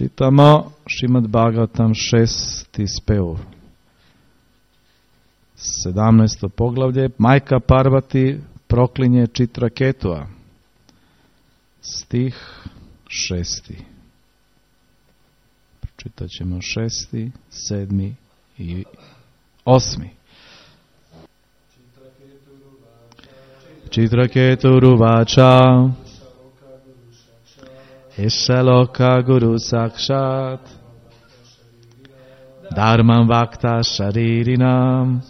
Čitamo Šrimad Bhagavatam 6. spev. 17. poglavlje. Majka Parvati proklinje Čitraketua. Stih 6. Pročitat ćemo 6., 7. i 8. Čitraketu Vacha Eshaloka Guru Sakshat Dharman Vakta Sharirinam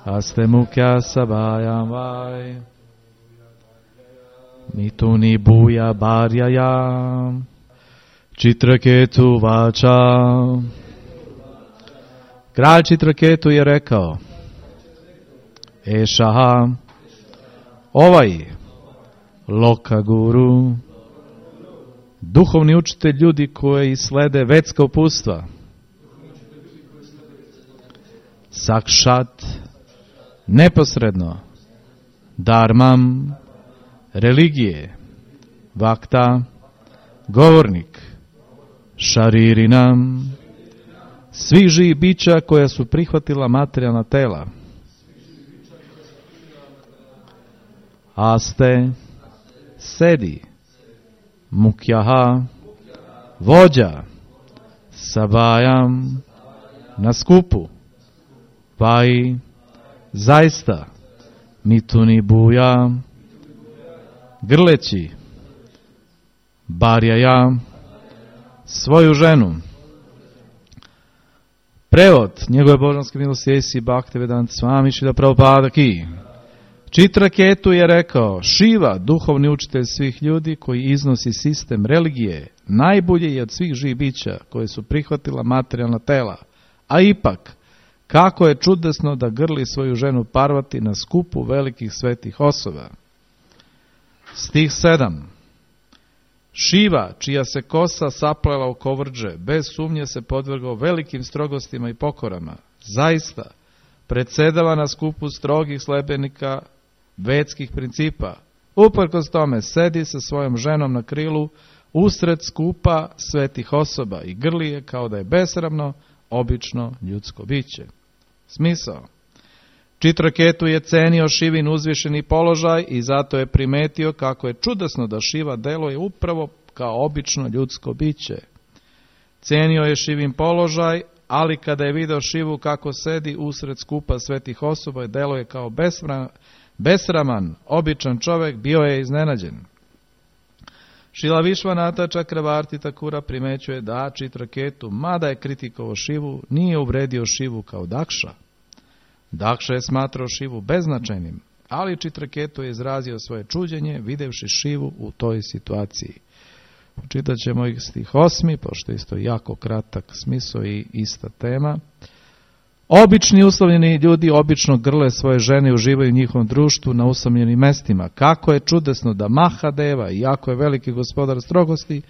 Aste Mukhya Sabhayam Vai Mituni Bhuya Bharyayam Čitraketu Vacha. Kralj Čitraketu je rekao: Ešaha, ovaj Loka Guru, duhovni učitelj ljudi koji slede vedska upustva, Sakšat, neposredno, Dharmam, religije, Vakta, govornik, Šaririnam, svih živih bića koja su prihvatila materijalna tela, Aste, sedi, Mukjaha, vođa, Sabajam, na skupu, Vai, zaista, Mituni Buja, grleći, Barjaja, svoju ženu. Prevod njegove božanske milosti A.C. Bhaktivedanta Swami Srila Prabhupada Ki. Čitraketu je rekao: Šiva, duhovni učitelj svih ljudi koji iznosi sistem religije, najbolje je od svih živih bića koje su prihvatila materijalna tela. A ipak, kako je čudesno da grli svoju ženu Parvati na skupu velikih svetih osoba. Stih 7. Šiva, čija se kosa saplela u kovrđe, bez sumnje se podvrgao velikim strogostima i pokorama. Zaista, predsjedava na skupu strogih sledbenika vedskih principa. Uprkos tome sedi sa svojom ženom na krilu usred skupa svetih osoba i grli je kao da je besramno, obično ljudsko biće. Smisao. Čitraketu je cenio Šivin uzvišeni položaj i zato je primetio kako je čudesno da Šiva deluje upravo kao obično ljudsko biće. Cenio je Šivin položaj, ali kada je video Šivu kako sedi usred skupa svetih osoba i deluje kao besraman, običan čovjek, bio je iznenađen. Šrila Višvanata Čakravarti Takura primećuje da Čitraketu, mada je kritikovao Šivu, nije uvredio Šivu kao Dakša. Dakša je smatrao Šivu beznačajnim, ali Čitraketu je izrazio svoje čuđenje videvši Šivu u toj situaciji. Čitat ćemo ih stih 8, pošto je isto jako kratak smisao i ista tema. Obični uslovljeni ljudi obično grle svoje žene i uživaju u njihovom društvu na usamljenim mestima. Kako je čudesno da Mahadeva, iako je veliki gospodar strogosti,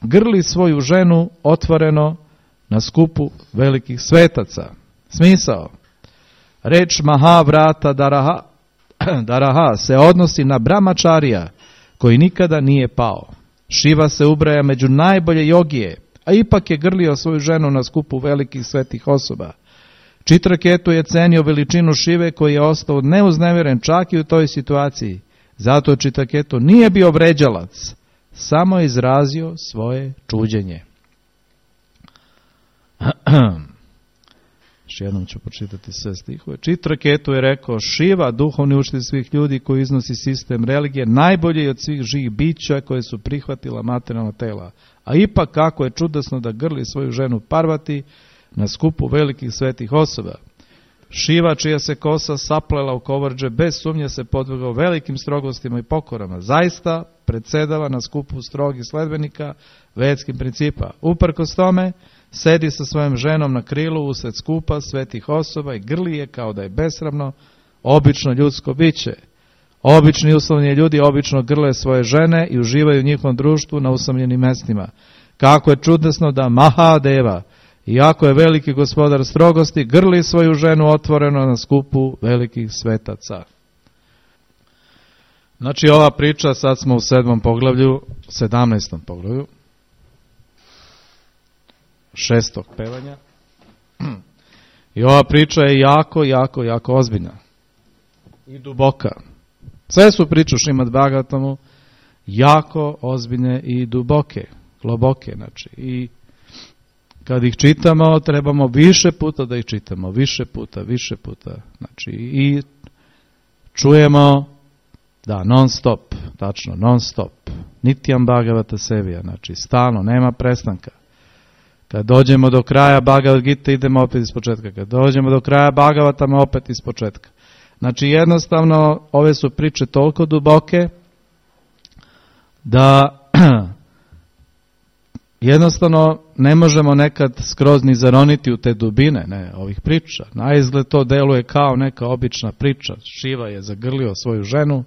grli svoju ženu otvoreno na skupu velikih svetaca. Smisao. Reč Mahavrata Daraha se odnosi na Brahmačarija koji nikada nije pao. Šiva se ubraja među najbolje jogije, a ipak je grlio svoju ženu na skupu velikih svetih osoba. Čitraketu je cenio veličinu Šive koji je ostao neuznemiren čak i u toj situaciji. Zato Čitraketu nije bio vređalac, samo je izrazio svoje čuđenje. Još jednom ću pročitati sve stihove. Čitraketu je rekao: Šiva, duhovni učitelj svih ljudi koji iznosi sistem religije, najbolje je od svih živih bića koje su prihvatila materijalna tela. A ipak kako je čudesno da grli svoju ženu Parvati na skupu velikih svetih osoba. Šiva, čija se kosa saplela u kovrđe, bez sumnje se podvrgao velikim strogostima i pokorama. Zaista predsjedava na skupu strogih sledbenika vedskim principa. Uprkos tome, sedi sa svojom ženom na krilu usred skupa svetih osoba i grli je kao da je besramno, obično ljudsko biće. Obični uslovljeni ljudi obično grle svoje žene i uživaju u njihovom društvu na usamljenim mestima. Kako je čudesno da Mahadeva, iako je veliki gospodar strogosti, grli svoju ženu otvoreno na skupu velikih svetaca. Znači ova priča, sad smo u 17. poglavlju, 6. pevanja. I ova priča je jako ozbiljna i duboka. Sve su priče u Šrimad Bhagavatamu jako ozbiljne i duboke, globoke, znači. I kad ih čitamo, trebamo više puta da ih čitamo, više puta. Znači, i čujemo, da, non stop, tačno, non stop. Nityam Bhagavata Sevija, znači, stalno, nema prestanka. Kad dođemo do kraja Bhagavad Gita, idemo opet iz početka. Kad dođemo do kraja Bhagavatama, opet iz početka. Znači, jednostavno, ove su priče toliko duboke da jednostavno ne možemo nekad skroz ni zaroniti u te dubine ovih priča. Na izgled to deluje kao neka obična priča. Šiva je zagrlio svoju ženu,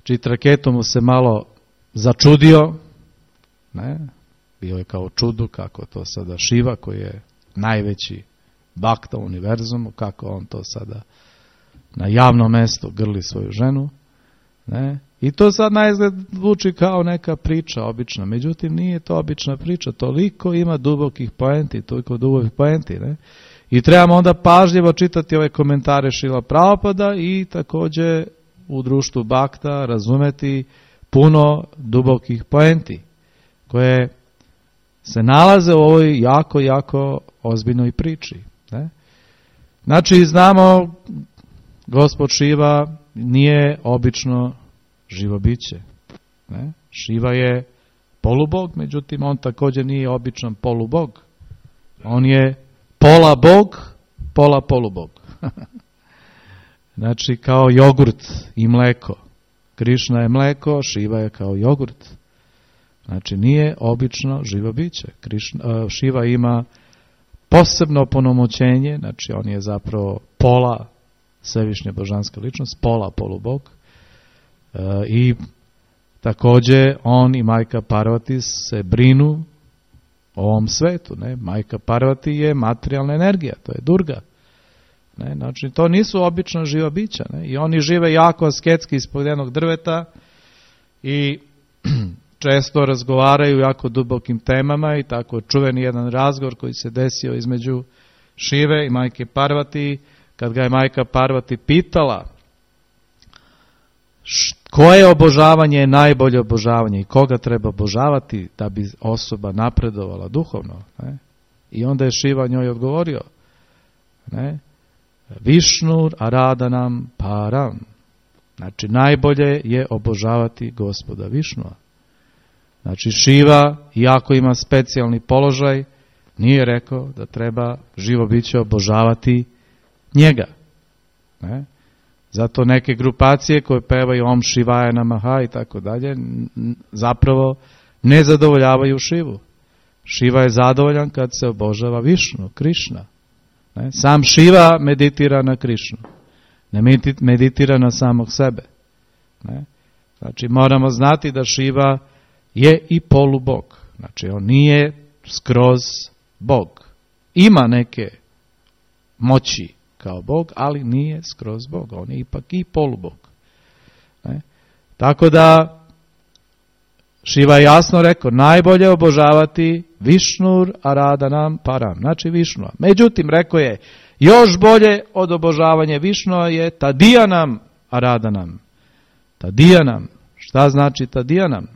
Čitraketu mu se malo začudio, bio je kao čudu kako to sada Šiva, koji je najveći bakta u univerzumu, kako on to sada na javnom mestu grli svoju ženu. I to sad na izgled zvuči kao neka priča obična, međutim nije to obična priča, toliko ima dubokih poenti, I trebamo onda pažljivo čitati ove komentare Šrila Prabhupada i također u društvu bakta razumeti puno dubokih poenti koje se nalaze u ovoj jako ozbiljnoj priči. Znači, znamo, Gospod Šiva nije obično živo biće. Šiva je polubog, međutim on također nije običan polubog. On je pola bog, pola polubog. Znači, kao jogurt i mleko. Krišna je mleko, Šiva je kao jogurt. Znači, nije obično živo biće. Šiva ima posebno opunomoćenje, znači on je zapravo pola svevišnja božanska ličnost, pola polubog. I također on i majka Parvati se brinu o ovom svetu. Majka Parvati je materijalna energija, to je Durga. Znači, to nisu obična živa bića. I oni žive jako asketski ispod jednog drveta i često razgovaraju jako dubokim temama i tako čuveni jedan razgovor koji se desio između Šive i majke Parvati, kad ga je majka Parvati pitala koje obožavanje je najbolje obožavanje i koga treba obožavati da bi osoba napredovala duhovno. I onda je Šiva njoj odgovorio, Višnur Aradanam Param. Znači, najbolje je obožavati Gospoda Višnua. Znači, Šiva, iako ima specijalni položaj, nije rekao da treba živo biće obožavati njega. Zato neke grupacije koje pevaju Om Šivaja Namaha i tako dalje, zapravo ne zadovoljavaju Šivu. Šiva je zadovoljan kad se obožava Višnu, Krišna. Sam Šiva meditira na Krišnu. Ne meditira na samog sebe. Znači, moramo znati da Šiva je i polubog. Znači, on nije skroz bog. Ima neke moći kao bog, ali nije skroz bog. On je ipak i polubog. Tako da Šiva je jasno rekao, najbolje obožavati Višnur Aradanam Param, znači Višnua. Međutim, rekao je, još bolje od obožavanja Višnua je Tadijanam Aradanam. Tadijanam. Šta znači Tadijanam?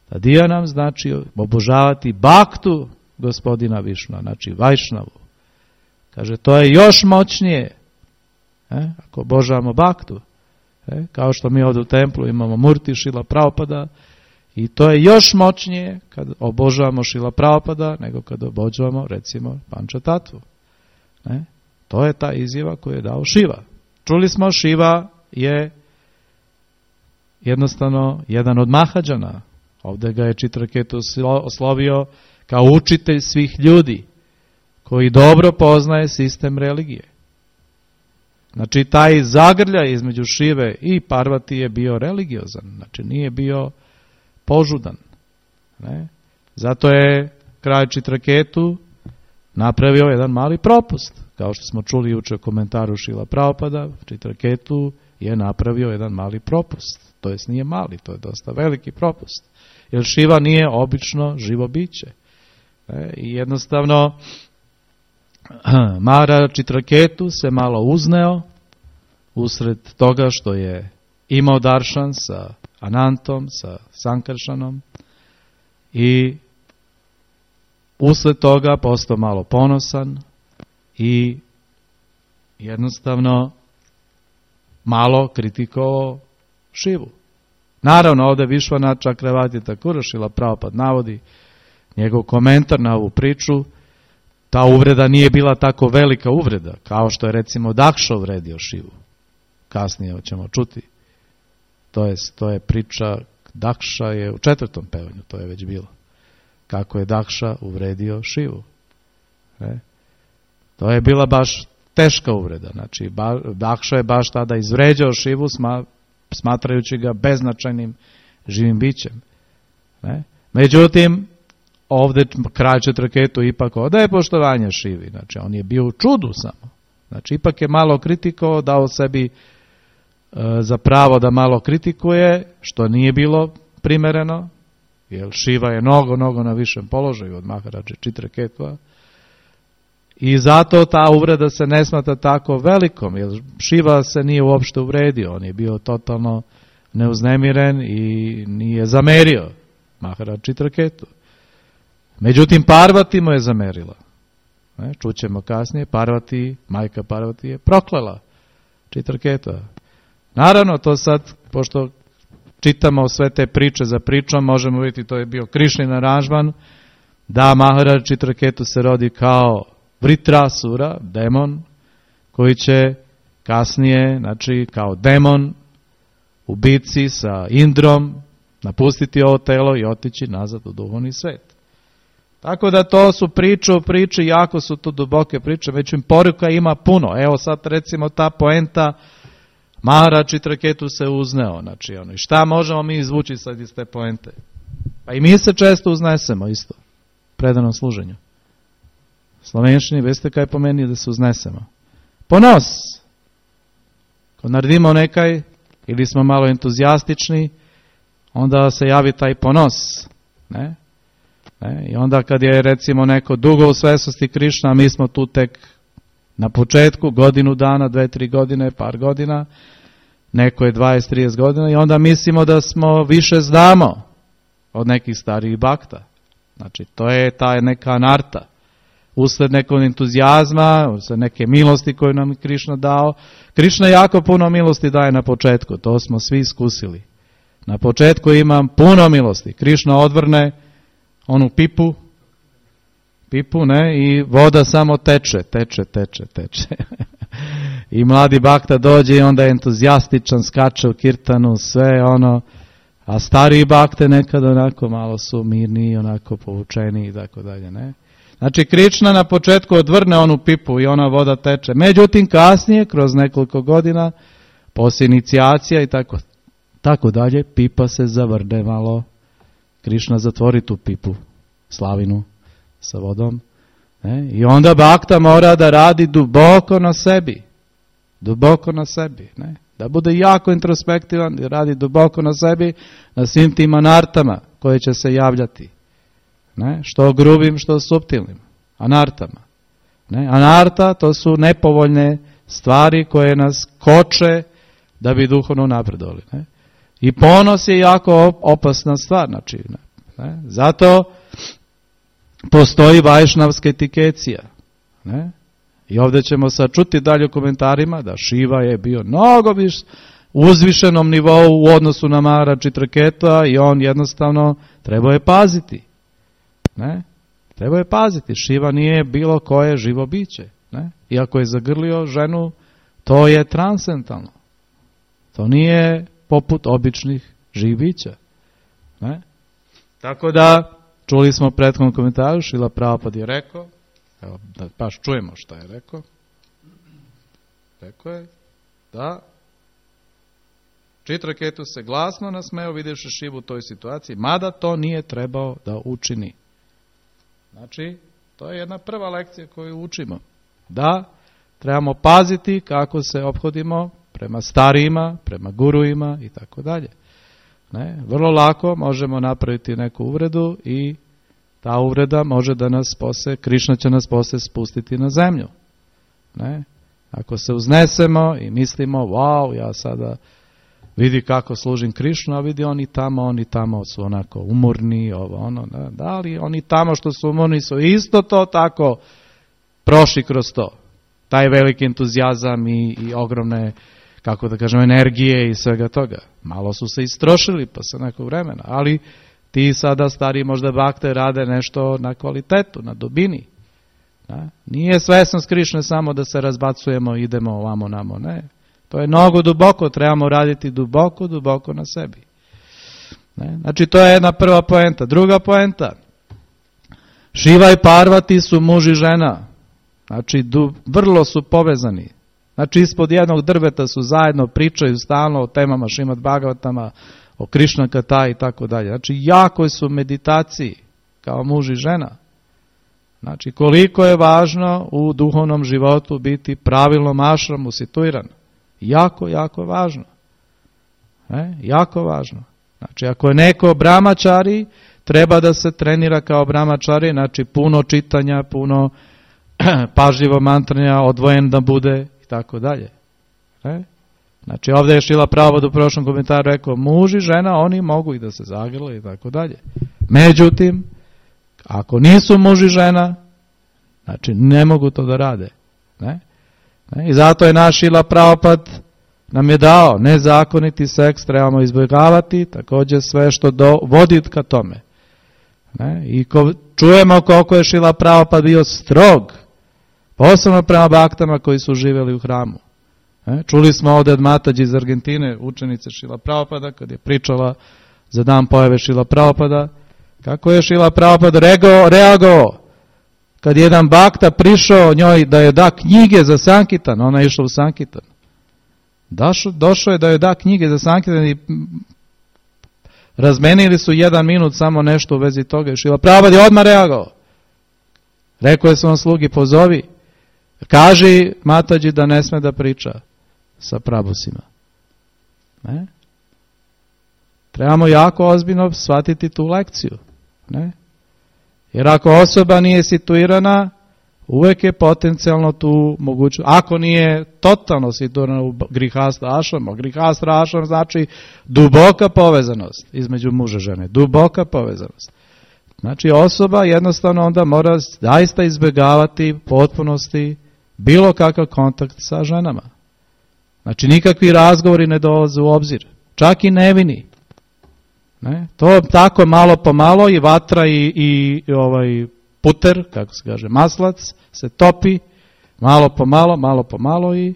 Tadijanam znači obožavati baktu gospodina Višnua, znači Vajšnavu. Kaže, to je još moćnije. Ako obožavamo baktu, kao što mi ovdje u templu imamo Murti Šrila Prabhupada, i to je još moćnije kad obožavamo Šrila Prabhupada nego kad obožavamo, recimo, Pančatatvu. To je ta izjava koju je dao Šiva. Čuli smo, Šiva je jednostavno jedan od Mahađana. Ovdje ga je Čitraketu oslovio kao učitelj svih ljudi koji dobro poznaje sistem religije. Znači, taj zagrljaj između Šive i Parvati je bio religiozan. Znači, nije bio požudan. Zato je kralj Čitraketu napravio jedan mali propust. Kao što smo čuli jučer u komentaru Šrila Prabhupada, Čitraketu je napravio jedan mali propust. To jest nije mali, to je dosta veliki propust. Jer Šiva nije obično živo biće. I jednostavno Maharaja Chitraketu se malo uzneo usred toga što je imao daršan sa Anantom, sa Sankaršanom i usled toga postao malo ponosan i jednostavno malo kritikovao Šivu. Naravno, ovdje Višvanath Čakravati Thakur, Šrila Prabhupada navodi njegov komentar na ovu priču. Ta uvreda nije bila tako velika uvreda, kao što je recimo Dakša uvredio Šivu. Kasnije ćemo čuti. To je priča, Dakša je u 4. pevanju, to je već bilo. Kako je Dakša uvredio Šivu. To je bila baš teška uvreda. Znači, Dakša je baš tada izvređao Šivu, smatrajući ga beznačajnim živim bićem. Međutim, ovdje kralj Chitraketu ipak odaje poštovanje Šivi. Znači, on je bio u čudu samo. Znači, ipak je malo kritikovao, dao sebi za pravo da malo kritikuje, što nije bilo primereno, jer Šiva je mnogo na višem položaju od Maharaja Chitraketua. I zato ta uvreda se ne smatra tako velikom, jer Šiva se nije uopšte uvredio, on je bio totalno neuznemiren i nije zamerio Maharaja Chitraketu. Međutim, Parvati mu je zamerila. Čućemo kasnije, majka Parvati je proklela Chitraketua. Naravno, to sad, pošto čitamo sve te priče za pričom, možemo vidjeti, to je bio Krišnin aranžman, da Maharaja Chitraketu se rodi kao Vritrasura, demon, koji će kasnije, znači kao demon u bitci sa Indrom, napustiti ovo telo i otići nazad u duhovni svet. Tako da to su priče, jako su to duboke priče, već im poruka ima puno. Evo sad recimo ta poenta, Maharaja Chitraketu se uzneo, znači i šta možemo mi izvući sad iz te poente? Pa i mi se često uznesemo isto, predanom služenju. Slovenščini, veste kaj pomeni da se uznesemo? Ponos. Ko naredimo nekaj, ili smo malo entuzijastični, onda se javi taj ponos. I onda kad je recimo neko dugo u svesnosti Krišna, mi smo tu tek na početku, godinu dana, 2-3 godine, par godina, neko je 20-30 godina i onda mislimo da smo više znamo od nekih starijih bakta. Znači, to je ta neka anarta. Usled nekog entuzijazma, usled neke milosti koju nam Krišna dao. Krišna jako puno milosti daje na početku, to smo svi iskusili. Na početku imam puno milosti. Krišna odvrne onu pipu, i voda samo teče. I mladi bakta dođe i onda je entuzijastičan, skače u kirtanu, sve ono, a stariji bakte nekad onako malo su mirniji, onako povučeni i tako dalje, ne? Znači, Krišna na početku odvrne onu pipu i ona voda teče. Međutim, kasnije, kroz nekoliko godina, poslije inicijacija i tako dalje, pipa se zavrne malo. Krišna zatvori tu pipu, slavinu sa vodom. I onda bakta mora da radi duboko na sebi. Da bude jako introspektivan, da radi duboko na sebi, na svim tim anartama koje će se javljati. Što grubim, što suptilnim anartama. Anarta, to su nepovoljne stvari koje nas koče da bi duhovno napredovali. I ponos je jako opasna stvar. Znači, zato postoji vajšnavska etikecija. I ovdje ćemo sad čuti dalje u komentarima da Šiva je bio mnogo uzvišenom nivou u odnosu na Maharaja Chitraketua i on jednostavno trebao je paziti. Treba je paziti, Šiva nije bilo koje živo biće. Iako je zagrlio ženu, to je transcendentalno. To nije poput običnih živih bića. Tako da, čuli smo u prethodnom komentaru, Šrila Prabhupada je rekao, evo da baš čujemo šta je rekao. Rekao je da Chitraketu se glasno nasmeo vidjevši Šivu u toj situaciji, mada to nije trebao da učini. Znači, to je jedna prva lekcija koju učimo. Da, trebamo paziti kako se ophodimo prema starijima, prema guruima i tako dalje. Vrlo lako možemo napraviti neku uvredu i ta uvreda može da nas posle, Krišna će nas posle spustiti na zemlju. Ne? Ako se uznesemo i mislimo, wow, ja sada vidi kako služim Krišnu, a vidi oni tamo su onako umorni, da li oni tamo što su umorni su isto to tako prošli kroz to. Taj veliki entuzijazam i ogromne, kako da kažem, energije i svega toga. Malo su se istrošili posle nekog vremena, ali ti sada stari možda bakte rade nešto na kvalitetu, na dubini. Da? Nije svesnost Krišne samo da se razbacujemo, idemo ovamo namo, ne. To je mnogo duboko, trebamo raditi duboko na sebi. Ne? Znači to je jedna prva poenta. Druga poenta, Šiva i Parvati su muž i žena. Znači vrlo su povezani. Znači ispod jednog drveta su zajedno, pričaju stalno o temama Šrimad Bhagavatama, o Krišna Kata i tako dalje. Znači jako su meditaciji kao muž i žena. Znači koliko je važno u duhovnom životu biti pravilnom ašramu situiran. Jako, jako važno. Jako važno. Znači ako je neko brahmačari, treba da se trenira kao brahmačari, znači puno čitanja, puno pažljivo mantranja, odvojen da bude i tako dalje. Znači ovdje je Šrila Prabhupada u prošlom komentaru rekao, muž i žena, oni mogu i da se zagrle i tako dalje. Međutim, ako nisu muž i žena, znači ne mogu to da rade. I zato je naš Šrila Prabhupada nam je dao nezakoniti seks, trebamo izbjegavati, također sve što vodi ka tome. I čujemo koliko je Šrila Prabhupada bio strog, posebno prema baktama koji su živjeli u hramu. Čuli smo ovdje od Matađi iz Argentine, učenice Šrila Prabhupada, kad je pričala za dan pojave Šrila Prabhupada, kako je Šrila Prabhupada reagovao kad jedan bakta prišao njoj da joj da knjige za Sankitan, ona je išla u Sankitan. Došao je da joj da knjige za Sankitan i razmenili su 1 minut samo nešto u vezi toga i Šrila Prabhupada je odmah reagovao. Rekao je svom slugi, pozovi, kaži Matađi da ne sme da priča sa prabusima. Trebamo jako ozbiljno shvatiti tu lekciju. Jer ako osoba nije situirana, uvek je potencijalno tu mogućnost. Ako nije totalno situirana u grihastra ašrama, grihastra ašram znači duboka povezanost između muža i žene, duboka povezanost. Znači osoba jednostavno onda mora zaista izbjegavati potpunosti bilo kakav kontakt sa ženama. Znači nikakvi razgovori ne dolaze u obzir, čak i nevini. To tako malo po malo i vatra i puter, kako se kaže, maslac se topi, malo po malo i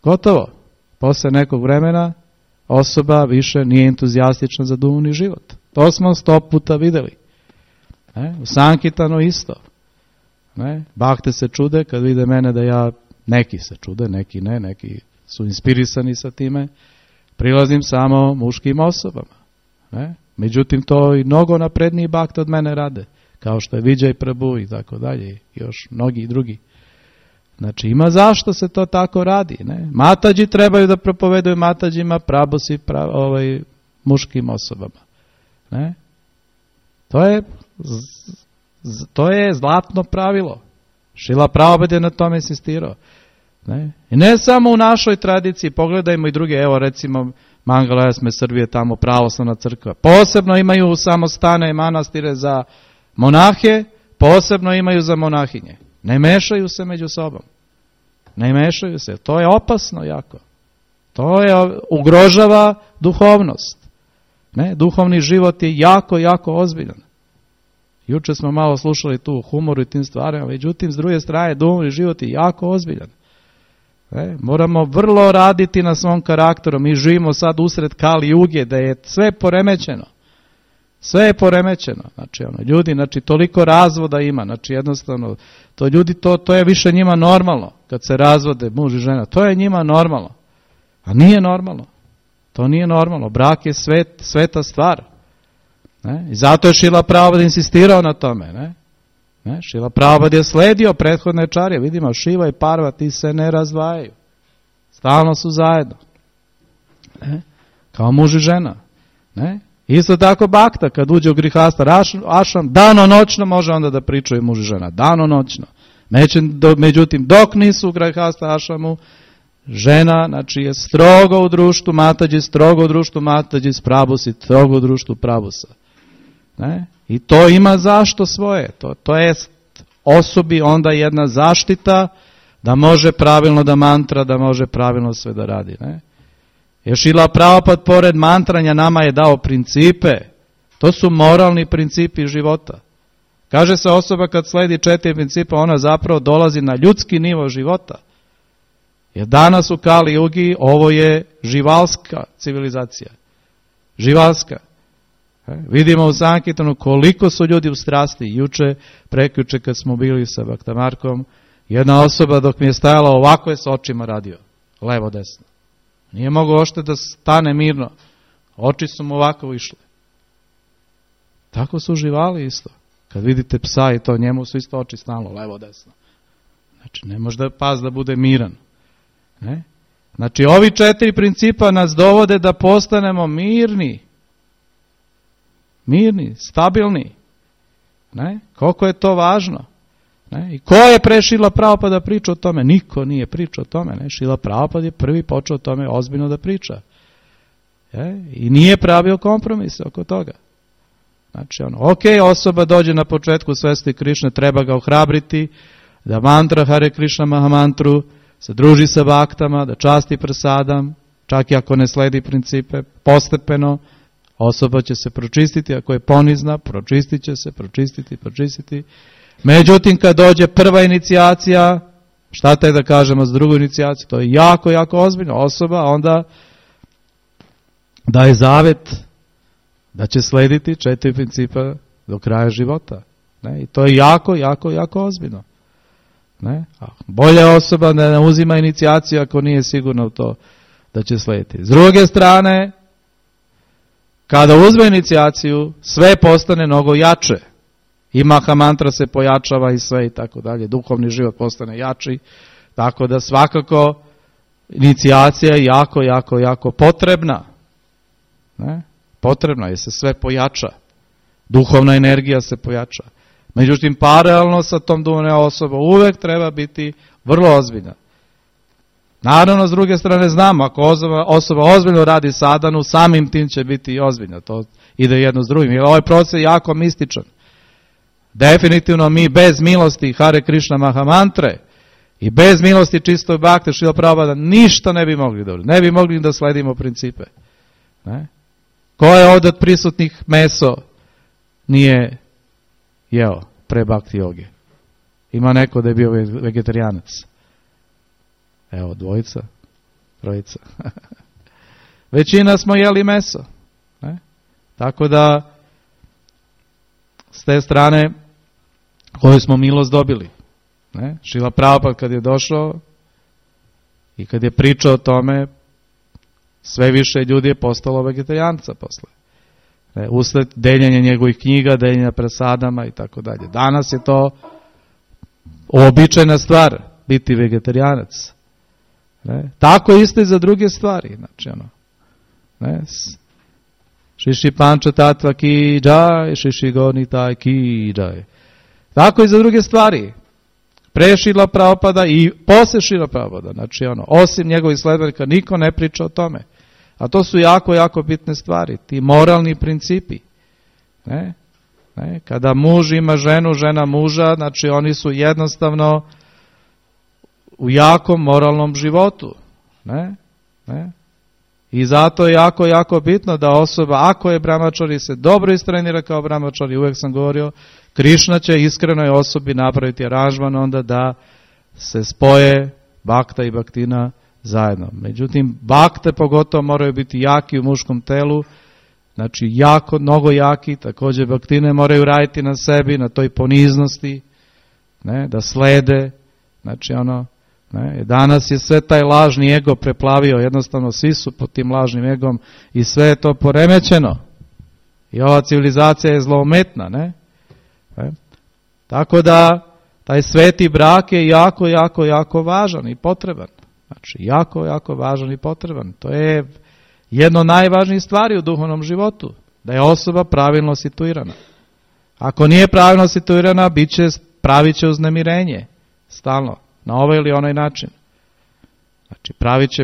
gotovo. Posle nekog vremena osoba više nije entuzijastična za duhovni život. To smo 100 puta vidjeli. U Sankitanu isto. Bakte se čude kad vide mene da neki se čude, neki ne, neki su inspirisani sa time, prilazim samo muškim osobama. Međutim, to i mnogo napredniji bakte od mene rade, kao što je Vijay Prabhu i tako dalje, i još mnogi drugi. Znači, ima zašto se to tako radi. Matađi trebaju da propovedaju Matađima, prabusi muškim osobama. To je zlatno pravilo. Šrila Prabhupada je na tome insistirao. I ne samo u našoj tradiciji, pogledajmo i druge, evo recimo Mangalayasme Srbije, tamo pravoslavna crkva. Posebno imaju samostane i manastire za monahe, posebno imaju za monahinje. Ne mešaju se među sobom. Ne mešaju se. To je opasno jako. To je ugrožava duhovnost. Duhovni život je jako, jako ozbiljan. Juče smo malo slušali tu humoru i tim stvarima, međutim s druge strane duhovni život je jako ozbiljan. Moramo vrlo raditi na svom karakteru. Mi živimo sad usred Kali Juge, da je sve poremećeno. Sve je poremećeno. Znači, ljudi, toliko razvoda ima. Znači, jednostavno, to ljudi, to je više njima normalno. Kad se razvode muž i žena, to je njima normalno. A nije normalno. To nije normalno. Brak je sveta stvar. I zato je Šrila Prabhupada insistirao na tome. Šrila Prabhupada je sledio prethodne čarje. Vidimo, Šiva i Parvati se ne razdvajaju. Stalno su zajedno. Kao muž i žena. Isto tako bakta, kad uđe u grihasta ašram, danonoćno može onda da pričaju muž i žena, danonoćno. Međutim, dok nisu u grihasta ašramu, žena, znači, je strogo u društvu Matađi, strogo u društvu Matađi, Prabusi, strogo u društvu Prabusa. Ne? I to ima zašto svoje. To je osobi onda jedna zaštita da može pravilno da mantra, da može pravilno sve da radi. Ne? Jer Šrila Prabhupada pored mantranja nama je dao principe. To su moralni principi života. Kaže se osoba kad sledi 4 principa, ona zapravo dolazi na ljudski nivo života. Jer danas u Kali Jugi ovo je živalska civilizacija. Živalska. Vidimo u Sankirtanu koliko su ljudi u strasti. Juče, prekjuče kad smo bili sa Bhaktamarkom, jedna osoba dok mi je stajala ovako je s očima radio. Levo, desno. Nije mogao ošte da stane mirno. Oči su mu ovako išle. Tako su živali isto. Kad vidite psa i to, njemu su isto oči stalno, levo, desno. Znači, ne može da pas da bude miran. Ne? Znači, ovi 4 principa nas dovode da postanemo mirni. Mirni, stabilni. Ne? Koliko je to važno. Ne? I ko je pre Šrila Prabhupada pričao o tome? Niko nije pričao o tome. Ne? Šrila Prabhupada je prvi počeo o tome ozbiljno da priča. I nije pravio kompromise oko toga. Znači, osoba dođe na početku svesti Krišne, treba ga ohrabriti, da mantra Hare Krishna Mahamantru, se druži sa baktama, da časti prasadam, čak i ako ne sledi principe, postepeno, osoba će se pročistiti, ako je ponizna, pročistit će se, pročistiti. Međutim, kad dođe prva inicijacija, šta te da kažemo s drugu inicijaciju, to je jako, jako ozbiljno. Osoba onda daje zavet da će slediti 4 principa do kraja života. Ne? I to je jako, jako, jako ozbiljno. Ne? Bolja osoba da ne uzima inicijaciju ako nije sigurna u to da će slediti. S druge strane, kada uzme inicijaciju, sve postane mnogo jače. I Mahamantra se pojačava i sve i tako dalje. Duhovni život postane jači. Tako da svakako inicijacija je jako, jako, jako potrebna. Ne? Potrebna je se sve pojača. Duhovna energija se pojača. Međutim, paralelno sa tom duhovnom osobom uvek treba biti vrlo ozbiljna. Naravno, s druge strane znamo, ako osoba ozbiljno radi sadhanu, samim tim će biti i ozbiljna. To ide jedno s drugim. Jer ovaj proces je jako mističan. Definitivno mi bez milosti Hare Krishna Mahamantre i bez milosti čistog bakte Šrila Prabhupada ništa ne bi mogli dobro. Ne bi mogli da sledimo principe. Ne? Ko je ovdje od prisutnih meso nije jeo pre bakti joge? Ima neko da je bio vegetarijanac? Evo, 2, 3. Većina smo jeli meso. Ne? Tako da s te strane koju smo milost dobili. Ne? Šrila Prabhupada kad je došao i kad je pričao o tome, sve više ljudi je postalo vegetarijanca posle. Usled deljenja njegovih knjiga, deljenja prasadama i tako dalje. Danas je to običajna stvar, biti vegetarijanac. Tako isto i za druge stvari. Znači, Šiši Panča Tatva ki džaj, Šiši Gornitaj ki džaj. Tako i za druge stvari. Pre Šrila Prabhupada i posle Šrila Prabhupada. Znači, osim njegovih sledbenika, niko ne priča o tome. A to su jako, jako bitne stvari. Ti moralni principi. Ne? Kada muž ima ženu, žena muža, znači oni su jednostavno u jakom moralnom životu. Ne? I zato je jako, jako bitno da osoba, ako je brahmačari, se dobro istrenira kao brahmačari, uvijek sam govorio, Krišna će iskrenoj osobi napraviti aranžman onda da se spoje bakta i baktina zajedno. Međutim, bakte pogotovo moraju biti jaki u muškom telu, znači jako, mnogo jaki, također baktine moraju raditi na sebi, na toj poniznosti, ne, da slede, znači danas je sve taj lažni ego preplavio, jednostavno svi su pod tim lažnim egom i sve je to poremećeno. I ova civilizacija je zloumetna, ne? Tako da taj sveti brak je jako, jako, jako važan i potreban. Znači, jako, jako važan i potreban. To je jedno od najvažnijih stvari u duhovnom životu. da je osoba pravilno situirana. Ako nije pravilno situirana, pravit će uznemirenje. Stalno. Na ovaj ili onaj način. Znači,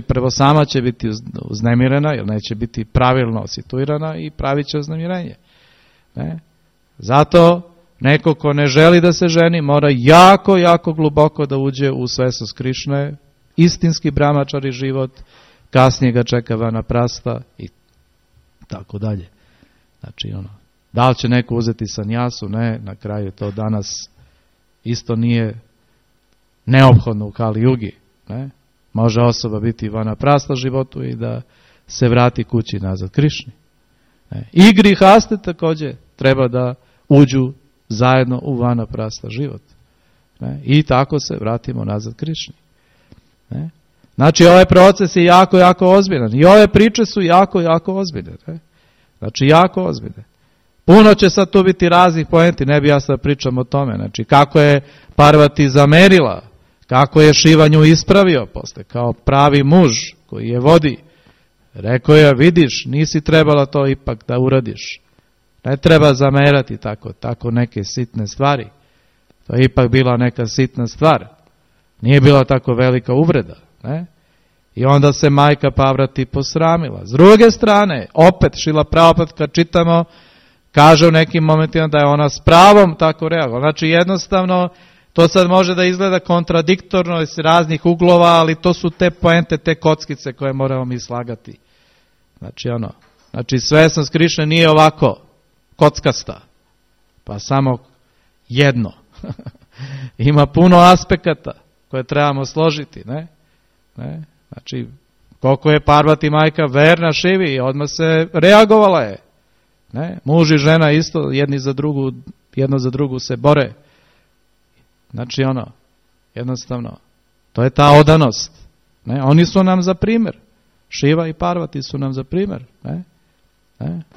prvo sama će biti uznemirena, jer neće biti pravilno situirana i pravit će uznemirenje. Ne? Zato neko ko ne želi da se ženi, mora jako, jako gluboko da uđe u svesnost Krišne, istinski brahmačari život, kasnije ga čeka vanaprasta i tako dalje. Znači, da li će neko uzeti sanjasu? Ne, na kraju to danas isto nije neophodno u Kali Jugi. Ne? Može osoba biti vanaprasta životu i da se vrati kući nazad Krišni. Ne? I grihaste također treba da uđu zajedno u vanaprasta život. Ne? I tako se vratimo nazad Krišni. Ne? Znači, ovaj proces je jako, jako ozbiljan. I ove priče su jako, jako ozbiljne. Ne? Znači, jako ozbiljne. Puno će sad tu biti raznih poenti, ne bi ja sad pričam o tome. Znači, kako je Parvati zamerila, kako je Šiva nju ispravio posle, kao pravi muž koji je vodi. Rekao je, vidiš, nisi trebala to ipak da uradiš. Ne treba zamerati tako neke sitne stvari. To je ipak bila neka sitna stvar. Nije bila tako velika uvreda. Ne? I onda se majka Parvati posramila. S druge strane, opet Šrila Prabhupada kad čitamo, kaže u nekim momentima da je ona s pravom tako reagovala. Znači jednostavno, to sad može da izgleda kontradiktorno iz raznih uglova, ali to su te poente, te kockice koje moramo mi slagati. Znači svesnost Krišne nije ovako kockasta, pa samo jedno. Ima puno aspekata koje trebamo složiti, ne? Znači, koliko je Parvati majka verna Šivi i odmah se reagovala je. Ne? Muž i žena isto jedno za drugu se bore. Znači jednostavno, to je ta odanost. Ne? Oni su nam za primjer. Šiva i Parvati su nam za primjer. Ne?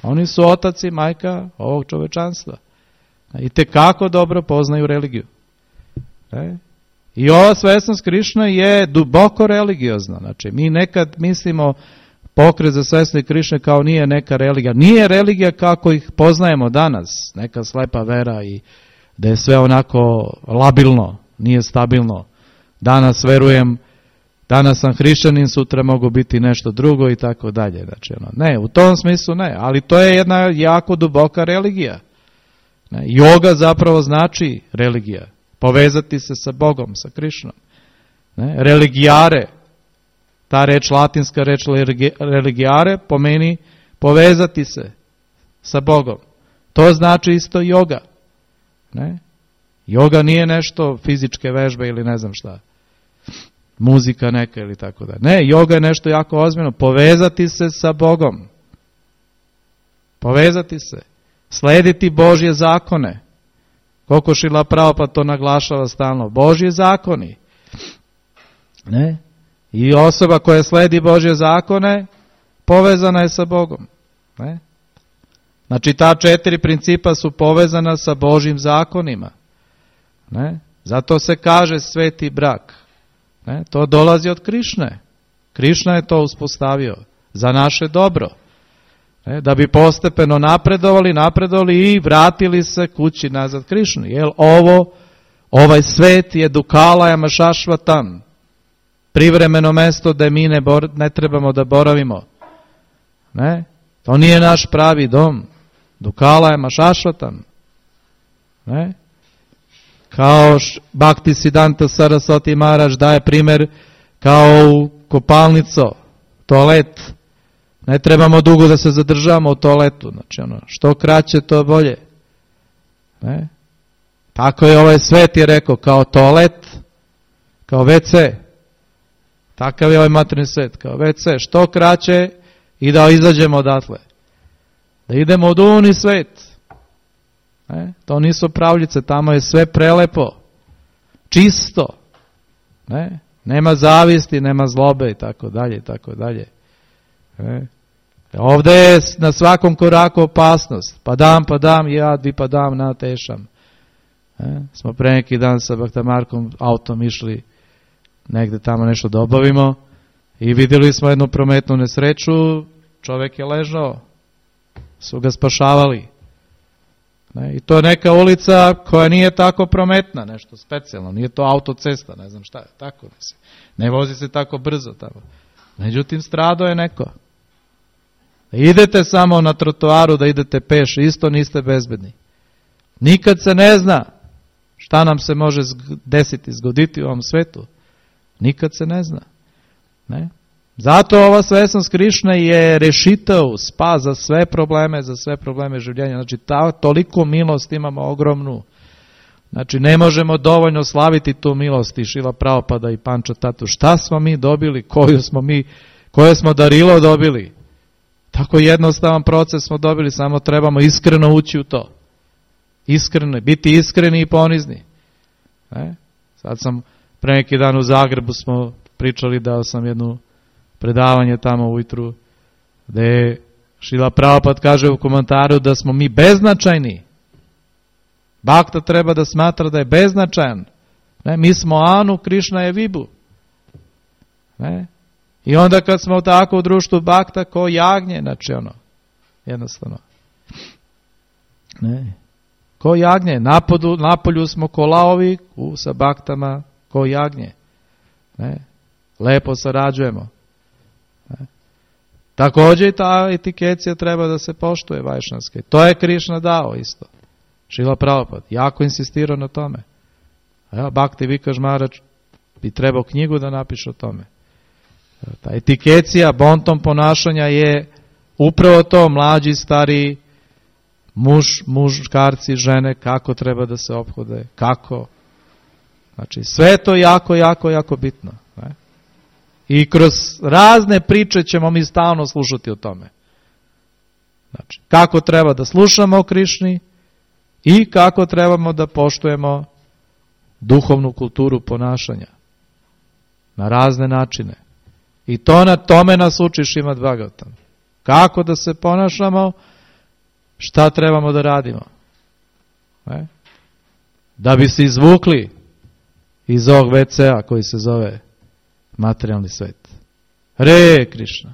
Oni su otac i majka ovog čovečanstva. I tekako dobro poznaju religiju. Ne? I ova svesnost Krišne je duboko religiozna. Znači, mi nekad mislimo pokret za svesnost Krišne kao nije neka religija. Nije religija kako ih poznajemo danas. Neka slepa vera i da je sve onako labilno, nije stabilno. Danas verujem, danas sam hrišćanin, sutra mogu biti nešto drugo i tako dalje. Znači, ne, u tom smislu ne, ali to je jedna jako duboka religija. Ne, joga zapravo znači religija. Povezati se sa Bogom, sa Krišnom. Ne, religijare, ta reč, latinska reč religijare, pomeni povezati se sa Bogom. To znači isto joga. Ne? Joga nije nešto fizičke vežbe ili ne znam šta. Muzika neka ili tako da. Ne, joga je nešto jako ozbiljno. Povezati se sa Bogom. Povezati se. Slediti Božje zakone. Koliko Šrila Prabhupada to naglašava stalno. Božje zakoni. Ne? I osoba koja sledi Božje zakone povezana je sa Bogom. Ne? Znači ta 4 principa su povezana sa Božjim zakonima. Ne? Zato se kaže sveti brak. Ne? To dolazi od Krišne. Krišna je to uspostavio za naše dobro. Ne? Da bi postepeno napredovali i vratili se kući nazad Krišni. Jer ovaj svet je Dukalajama Šašvatam. Privremeno mesto da mi ne trebamo da boravimo. Ne? To nije naš pravi dom. Dukalajama Šašvatam. Ne? Kao Bhakti Siddhanta Saraswati Maharaj daje primjer kao u kopalnico, toalet. Ne trebamo dugo da se zadržavamo u toaletu. Znači što kraće to bolje. Ne? Tako je ovaj svet je rekao, kao toalet, kao WC. Takav je ovaj materijalni svet, kao WC. Što kraće i da izađemo odatle. Da idemo u duhovni svet. Ne? To nisu pravljice, tamo je sve prelepo. Čisto. Ne? Nema zavisti, nema zlobe i tako dalje i tako dalje. Ovdje je na svakom koraku opasnost. Padam, jad padam na tešam. Smo pre neki dan sa Bhaktamarkom autom išli negde tamo nešto da obavimo i vidjeli smo jednu prometnu nesreću, čovjek je ležao su ga spašavali. I to je neka ulica koja nije tako prometna, nešto specijalno, nije to autocesta, ne znam šta je, tako ne vozi se tako brzo tamo. Međutim, stradao je neko. Da idete samo na trotoaru, da idete peš, isto niste bezbedni. Nikad se ne zna šta nam se može desiti, zgoditi u ovom svetu. Nikad se ne zna. Ne? Zato ova svesnost Krišne je rešitav, spas za sve probleme življenja. Znači, toliko milost imamo ogromnu. Znači, ne možemo dovoljno slaviti tu milost i Šrila Prabhupada i Panča Tatu. Šta smo mi dobili, koje smo darilo dobili. Tako jednostavan proces smo dobili, samo trebamo iskreno ući u to. Iskreno, biti iskreni i ponizni. Sad sam, pre neki dan u Zagrebu smo pričali, dao sam jednu predavanje tamo ujutru, gde Šrila Prabhupada kaže u komentaru da smo mi beznačajni. Bhakta treba da smatra da je beznačajan. Mi smo Anu, Krišna je Vibhu. I onda kad smo tako u društvu Bhakta, ko jagnje, znači jednostavno. Ko jagnje, napolju smo ko laovi, sa Bhaktama ko jagnje. Lepo sarađujemo. Također i ta etikecija treba da se poštuje vajšnavske. To je Krišna dao isto. Šrila Prabhupada jako insistirao na tome. Bhakti Vikash Maharaj bi trebao knjigu da napiše o tome. Ta etikecija, bonton ponašanja je upravo to, mlađi, stariji, muškarci, žene, kako treba da se ophode, kako. Znači, sve to jako bitno. I kroz razne priče ćemo mi stalno slušati o tome. Znači, kako treba da slušamo o Krišni i kako trebamo da poštujemo duhovnu kulturu ponašanja. Na razne načine. I to na tome nas uči Šrimad Bhagavatam. Kako da se ponašamo, šta trebamo da radimo. Da bi se izvukli iz ovog WC-a koji se zove materijalni svet. Hare Krišna.